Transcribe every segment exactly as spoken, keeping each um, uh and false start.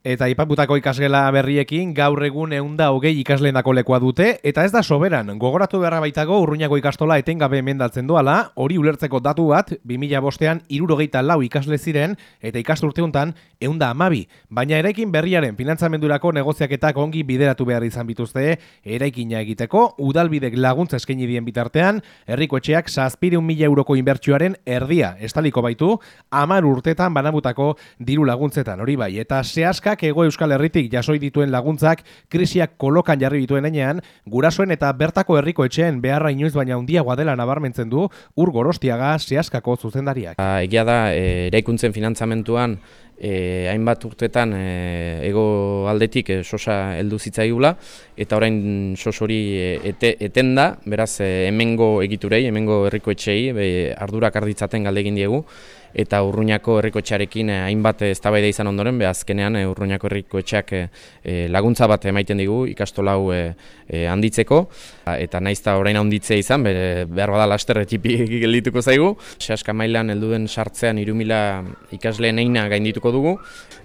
Eta aipatutako ikasgela berriekin gaur egun ehun eta hogei ikasleenako lekua dute, eta ez da soberan. Gogoratu beharra baitago Urruñako ikastola etengabe emendatzen doala, hori ulertzeko datu bat, bi mila bostean hirurogeita lau ikasle ziren, eta ikasturte hontan ehun eta hamabi. Baina eraikin berriaren finantzamendurako negoziaketak ongi bideratu behar izan bituzte, eraikina egiteko, udalbidek laguntza eskaini dien bitartean, herriko etxeak zazpiehun mila euroko inbertsioaren erdia estaliko baitu, hamar urtetan banabutako diru laguntzetan, hori bai, eta zehazka Hego Euskal Herritik jasoi dituen laguntzak krisiak kolokan jarri dituen enean, gurasoen eta bertako herriko etxeen beharra inoiz baina handiagoa dela nabarmentzen du Ur Gorostiaga zehazkako zuzendariak. Egia da, e, eraikuntzen finantzamentuan E, hainbat urtetan e, ego aldetik e, sosa heldu zitzaigula, eta orain sos hori ete, eten da, beraz e, hemengo egiturei, hemengo herriko etxei be, ardurak arditzaten galdegin diegu, eta Urruñako herriko etxearekin e, hainbat eztabaida izan ondoren, be azkenean e, Urruñako herriko etxeak e, e, laguntza bat emaiten digu ikastola hau e, e, handitzeko, eta naizta orain handitzea izan, be, behar bada laster tipi geldituko zaigu. Sehaska mailan heldu den sartzean hiru mila ikasleen eina gaindituko dugu,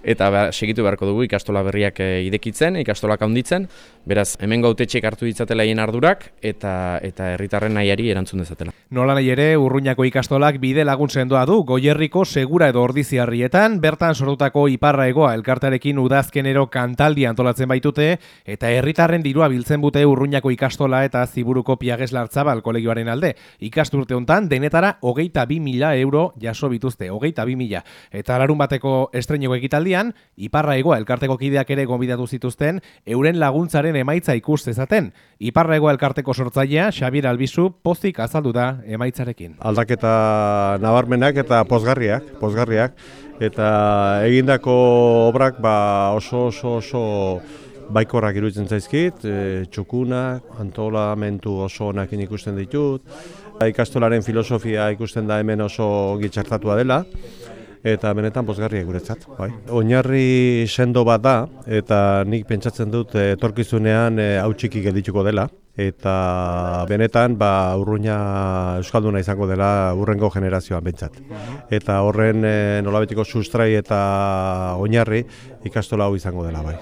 eta ba, segitu beharko dugu ikastola berriak e, idekitzen, ikastolak handitzen, beraz hemengo hautetxeek hartu ditzatela hien ardurak, eta eta herritarren nahiari erantzun dezatela. Nola nahi ere, Urruñako ikastolak bide lagun sendoa du Goierriko Segura edo Ordiziarrietan, bertan sortutako Iparra Hegoa elkartarekin udazkenero kantaldi antolatzen baitute, eta herritarren dirua biltzen bute Urruñako ikastola eta Ziburuko Piages Lartzabal kolegioaren alde. Ikasturte hontan denetara hogeita bi mila euro jaso bituzte, hogeita bi mila. Eta larun bateko estreineko ekitaldian, Iparra Hegoa elkarteko kideak ere gonbidatu zituzten, euren laguntzaren emaitza ikus dezaten. Iparra Hegoa elkarteko sortzailea, Xabier Albizu, pozik azaldu da emaitzarekin. Aldaketa nabarmenak eta pozgarriak, pozgarriak, eta egindako obrak ba, oso oso oso baikorrak iruditzen zaizkit, e, txukunak, antolamentu oso onakin ikusten ditut, ikastolaren filosofia ikusten da hemen oso gitxartatua dela, eta benetan pozgarria guretzat. Bai. Oinarri sendo bat da, eta nik pentsatzen dut etorkizunean hau txiki geldituko dela, eta benetan ba, Urruña euskalduna izango dela hurrengo generazioan bentsat. Eta horren nolabetiko sustrai eta oinarri ikastola hau izango dela bai.